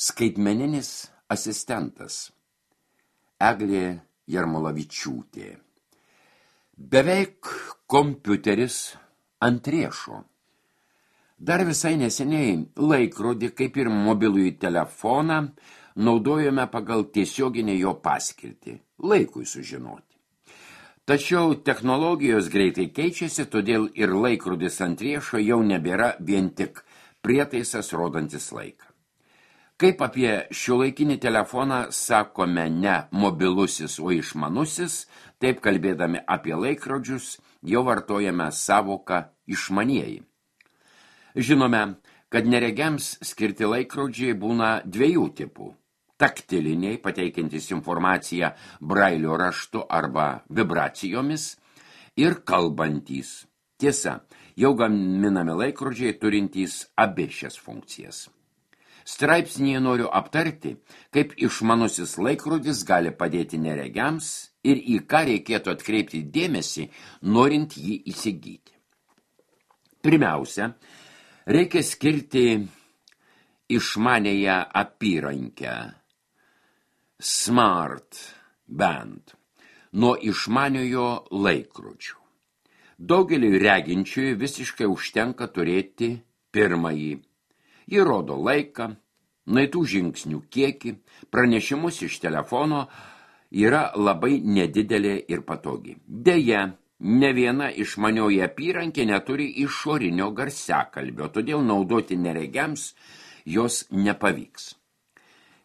Skaitmeninis asistentas. Eglė Jarmolavičiūtė. Beveik kompiuteris ant riešo. Dar visai neseniai laikrodį, kaip ir mobilųjį telefoną, naudojame pagal tiesioginę jo paskirtį – laikui sužinoti. Tačiau technologijos greitai keičiasi, todėl ir laikrodis ant riešo jau nebėra vien tik prietaisas rodantis laiką. Kaip apie šiuolaikinį telefoną sakome ne mobilusis, o išmanusis, taip kalbėdami apie laikrodžius jau vartojame savoką išmanieji. Žinome, kad neregiams skirti laikrodžiai būna dviejų tipų. Taktiliniai, pateikiantys informaciją brailio raštu arba vibracijomis, ir kalbantys. Tiesa, jau gaminami laikrodžiai turintys abi šias funkcijas. Straipsnyje noriu aptarti, kaip išmanusis laikrodis gali padėti neregiams ir į ką reikėtų atkreipti dėmesį, norint jį įsigyti. Pirmiausia, reikia skirti išmanėją apyrankę Smart Band nuo išmaniojo laikrodžių. Daugeliui reginčiųjų visiškai užtenka turėti pirmąjį. Ji rodo laiką, nueitų žingsnių kiekį, pranešimus iš telefono, yra labai nedidelė ir patogi. Deja, ne viena išmanioji apyrankė neturi išorinio garsiakalbio, todėl naudoti neregiams jos nepavyks.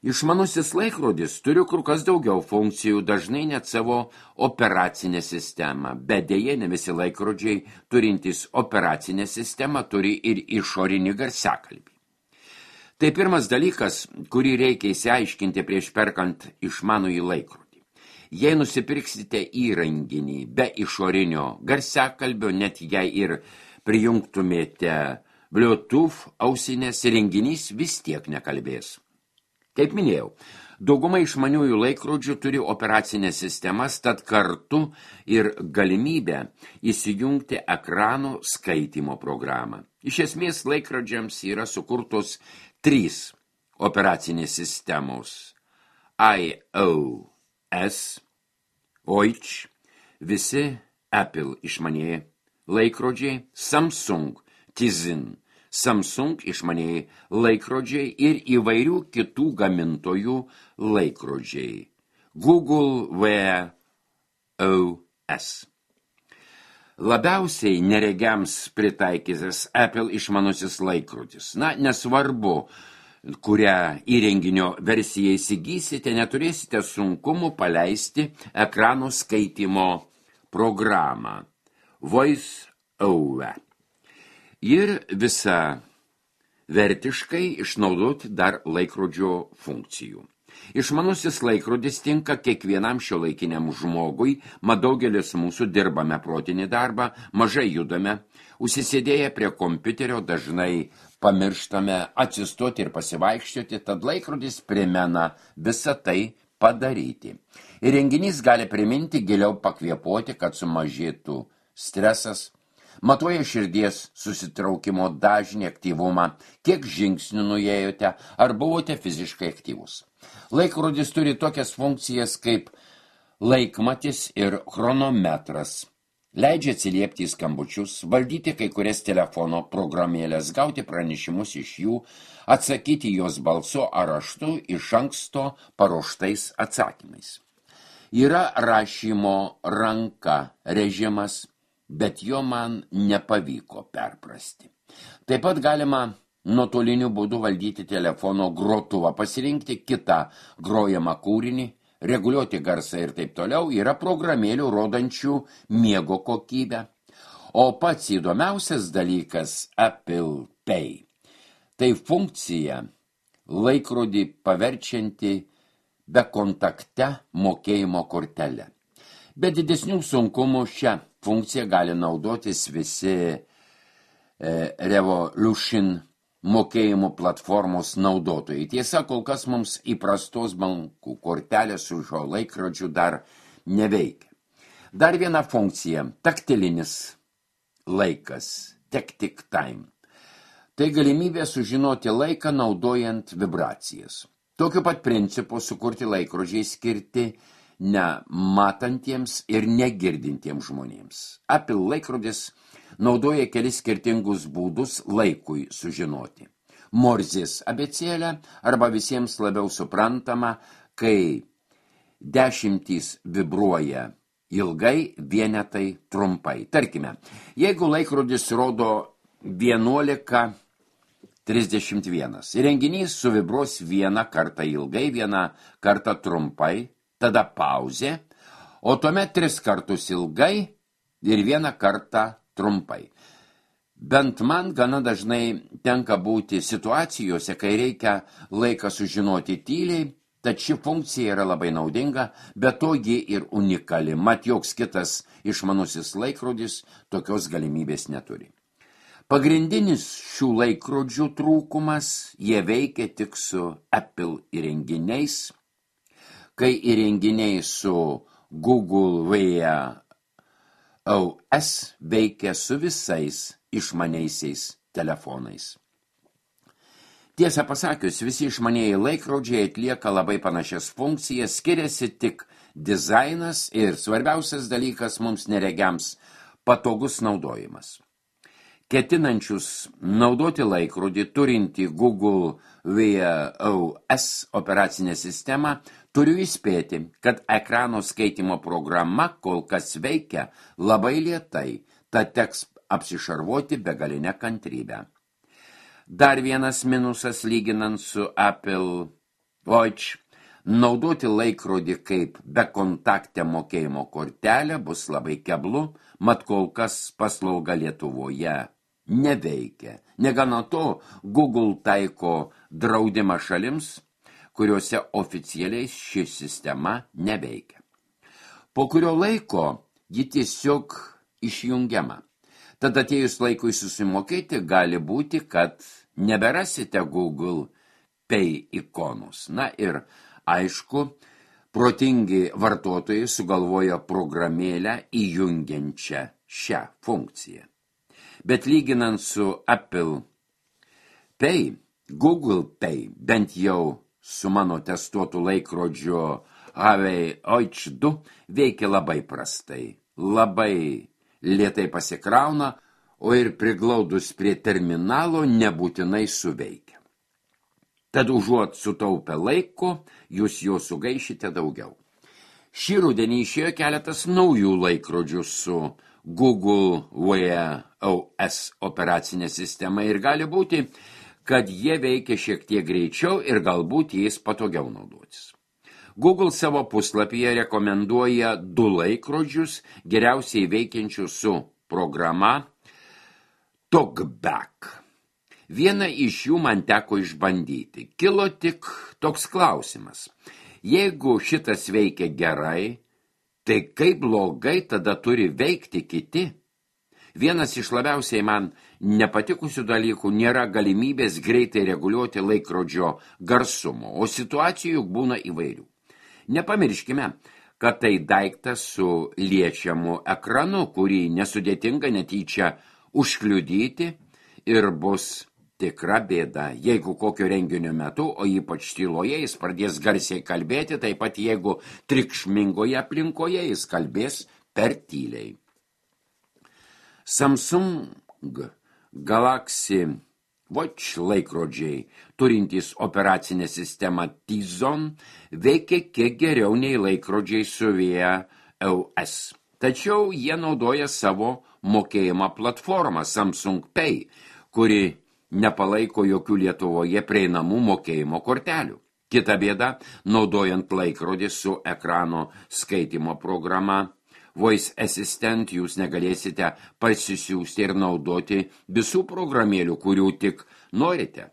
Išmanusis laikrodis turi kur kas daugiau funkcijų, dažnai net savo operacinę sistemą, bet deja ne visi laikrodžiai turintys operacinę sistemą turi ir išorinį garsiakalbį. Tai pirmas dalykas, kurį reikia įsiaiškinti prieš perkant išmanųjį laikrodį. Jei nusipirksite įrenginį be išorinio garsiakalbio, net jei ir prijungtumėte Bluetooth ausinės, įrenginys vis tiek nekalbės. Kaip minėjau, dauguma išmaniųjų laikrodžių turi operacinės sistemas, tad kartu ir galimybę įsijungti ekranų skaitymo programą. Iš esmės laikrodžiams yra sukurtos 3 operacinės sistemos iOS, OIC, visi Apple išmanieji laikrodžiai, Samsung, Tizen, Samsung išmanieji laikrodžiai ir įvairių kitų gamintojų laikrodžiai, Google Wear OS. Labiausiai neregiams pritaikytas Apple išmanusis laikrodis. Nesvarbu, kurią įrenginio versiją įsigysite, neturėsite sunkumų paleisti ekrano skaitymo programą Voice Over. Ir visą vertiškai išnaudoti dar laikrodžio funkcijų. Išmanusis laikrodis tinka kiekvienam šiuolaikiniam žmogui, mat daugelis mūsų dirbame protinį darbą, mažai judame, užsisėdėję prie kompiuterio dažnai pamirštame atsistoti ir pasivaikščioti, tad laikrodis primena visą tai padaryti. Įrenginys gali priminti giliau pakvėpuoti, kad sumažėtų stresas, matuoja širdies susitraukimo dažnį, aktyvumą, kiek žingsnių nuėjote ar buvote fiziškai aktyvus. Laikrodis turi tokias funkcijas kaip laikmatis ir chronometras. Leidžia atsiliepti į skambučius, valdyti kai kurias telefono programėlės, gauti pranešimus iš jų, atsakyti jos balsu ar raštu iš anksto paruoštais atsakymais. Yra rašymo ranka režimas, bet jo man nepavyko perprasti. Taip pat galima nuotoliniu būdu valdyti telefono grotuvą, pasirinkti kitą grojamą kūrinį, reguliuoti garsą ir taip toliau. Yra programėlių rodančių miego kokybę. O pats įdomiausias dalykas Apple Pay. Tai funkcija laikrodį paverčianti bekontakte mokėjimo kortelę. Be didesnių sunkumų šią funkciją gali naudotis visi Revolution mokėjimų platformos naudotojai. Tiesa, kol kas mums įprastos bankų kortelės su šio laikrodžiu dar neveikia. Dar viena funkcija – taktilinis laikas, tactic time. Tai galimybė sužinoti laiką naudojant vibracijas. Tokiu pat principu sukurti laikrodžiai skirti nematantiems ir negirdintiems žmonėms. Apple laikrodis naudoja kelis skirtingus būdus laikui sužinoti. Morzės abėcėlę arba visiems labiau suprantama, kai dešimtys vibruoja ilgai, vienetai trumpai. Tarkime, jeigu laikrodis rodo 11:31, įrenginys suvibruos vieną kartą ilgai, vieną kartą trumpai, tada pauzė, o tuomet 3 kartus ilgai ir vieną kartą trumpai. Bent man gana dažnai tenka būti situacijose, kai reikia laiką sužinoti tyliai, tad ši funkcija yra labai naudinga, bet to ji ir unikali, mat joks kitas išmanusis laikrodis tokios galimybės neturi. Pagrindinis šių laikrodžių trūkumas, jie veikia tik su Apple įrenginiais, kai įrenginiai su Google Wear OS veikia su visais išmaniaisiais telefonais. Tiesą pasakius, visi išmanieji laikrodžiai atlieka labai panašias funkcijas, skiriasi tik dizainas ir svarbiausias dalykas mums neregiams – patogus naudojimas. Ketinančius naudoti laikrodį turintį Google Wear OS operacinę sistemą, turiu įspėti, kad ekrano skaitimo programa kol kas veikia labai lėtai, tad teks apsišarvuoti begalinę kantrybę. Dar vienas minusas lyginant su Apple Watch – naudoti laikrodį kaip bekontaktę mokėjimo kortelę bus labai keblu, mat kol kas paslauga Lietuvoje neveikia. Negana to, Google taiko draudimą šalims, kuriuose oficialiai ši sistema neveikia. Po kurio laiko ji tiesiog išjungiama. Tad atėjus laikui susimokėti gali būti, kad neberasite Google Pay ikonus. Na ir aišku, protingi vartotojai sugalvoja programėlę įjungiančią šią funkciją. Bet lyginant su Apple Pay, Google Pay, bent jau su mano testuotų laikrodžiu Huawei Watch 2, veikia labai prastai, labai lėtai pasikrauna, o ir priglaudus prie terminalo nebūtinai suveikia. Tad užuot sutaupę laiko, jūs jo sugaišite daugiau. Šį rudenį išėjo keletas naujų laikrodžių su Google Wear OS operacinė sistema ir gali būti, kad jie veikia šiek tiek greičiau ir galbūt jais patogiau naudotis. Google savo puslapyje rekomenduoja 2 laikrodžius, geriausiai veikiančius su programa TalkBack. Vieną iš jų man teko išbandyti. Kilo tik toks klausimas. Jeigu šitas veikia gerai, tai kaip blogai tada turi veikti kiti? Vienas iš labiausiai man nepatikusių dalykų nėra galimybės greitai reguliuoti laikrodžio garsumo, o situacijų būna įvairių. Nepamirškime, kad tai daiktas su liečiamu ekranu, kurį nesudėtinga netyčia užkliudyti ir bus tikra bėda, jeigu kokio renginio metu, o ypač tyloje jis pradės garsiai kalbėti, taip pat jeigu triukšmingoje aplinkoje jis kalbės per tyliai. Samsung Galaxy Watch laikrodžiai, turintys operacinę sistemą Tizon, veikia kiek geriau nei laikrodžiai su Wear OS. Tačiau jie naudoja savo mokėjimą platformą Samsung Pay, kuri nepalaiko jokių Lietuvoje prieinamų mokėjimo kortelių. Kita bėda, naudojant laikrodį su ekrano skaitimo programa Voice Assistant, jūs negalėsite parsisiųsti ir naudoti visų programėlių, kurių tik norite.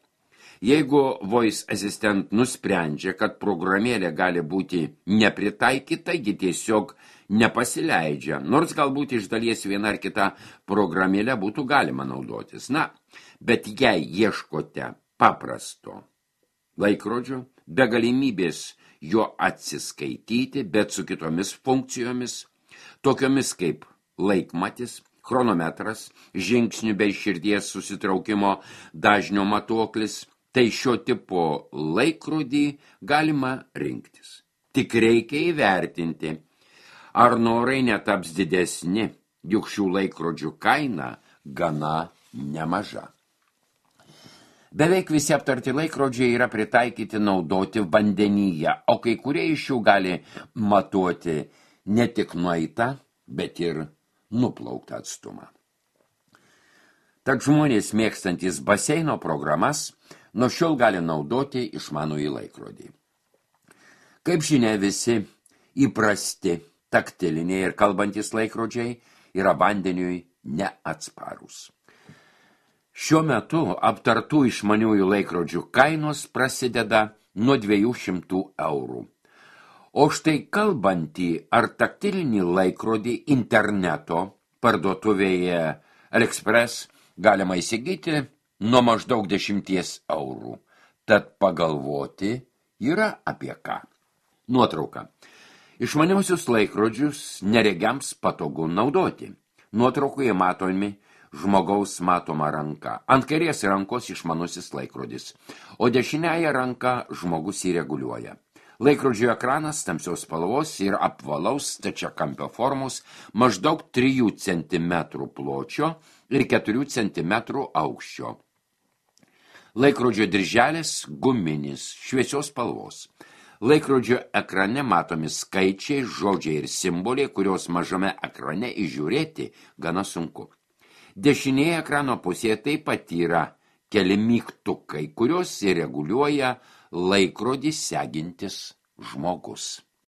Jeigu Voice Assistant nusprendžia, kad programėlė gali būti nepritaikyta, ji tiesiog nepasileidžia, nors galbūt iš dalies viena ar kita programėlė būtų galima naudotis. Na, bet jei ieškote paprasto laikrodžio, be galimybės jo atsiskaityti, bet su kitomis funkcijomis, tokiomis kaip laikmatis, chronometras, žingsnių bei širdies susitraukimo dažnio matuoklis, tai šio tipo laikrodį galima rinktis. Tik reikia įvertinti, ar norai netaps didesni, juk šių laikrodžių kaina gana nemaža. Beveik visi aptarti laikrodžiai yra pritaikyti naudoti vandenyje, o kai kurie iš jų gali matuoti ne tik nueitą, bet ir nuplauktą atstumą. Tad žmonės mėgstantis baseino programas nuo šiol gali naudoti išmanųjį laikrodį. Kaip žinia, visi įprasti taktiliniai ir kalbantys laikrodžiai yra vandeniui neatsparūs. Šiuo metu aptartų išmaniųjų laikrodžių kainos prasideda nuo 200 eurų. O štai kalbantį ar taktilinį laikrodį interneto parduotuvėje AliExpress galima įsigyti nuo maždaug 10 eurų. Tad pagalvoti yra apie ką. Nuotrauka. Išmaniausius laikrodžius neregiams patogu naudoti. Nuotraukoje matomi žmogaus matoma ranka. Ant kairės rankos išmanusis laikrodis, o dešiniąją ranką žmogus įreguliuoja. Laikrodžio ekranas tamsios spalvos ir apvalaus stačiakampio formos, maždaug 3 cm pločio ir 4 cm aukščio. Laikrodžio dirželis guminis, šviesios spalvos. Laikrodžio ekrane matomi skaičiai, žodžiai ir simboliai, kurios mažame ekrane įžiūrėti gana sunku. Dešinėje ekrano pusėje taip pat yra keli mygtukai, kurios įreguliuoja laikrodį segintis žmogus.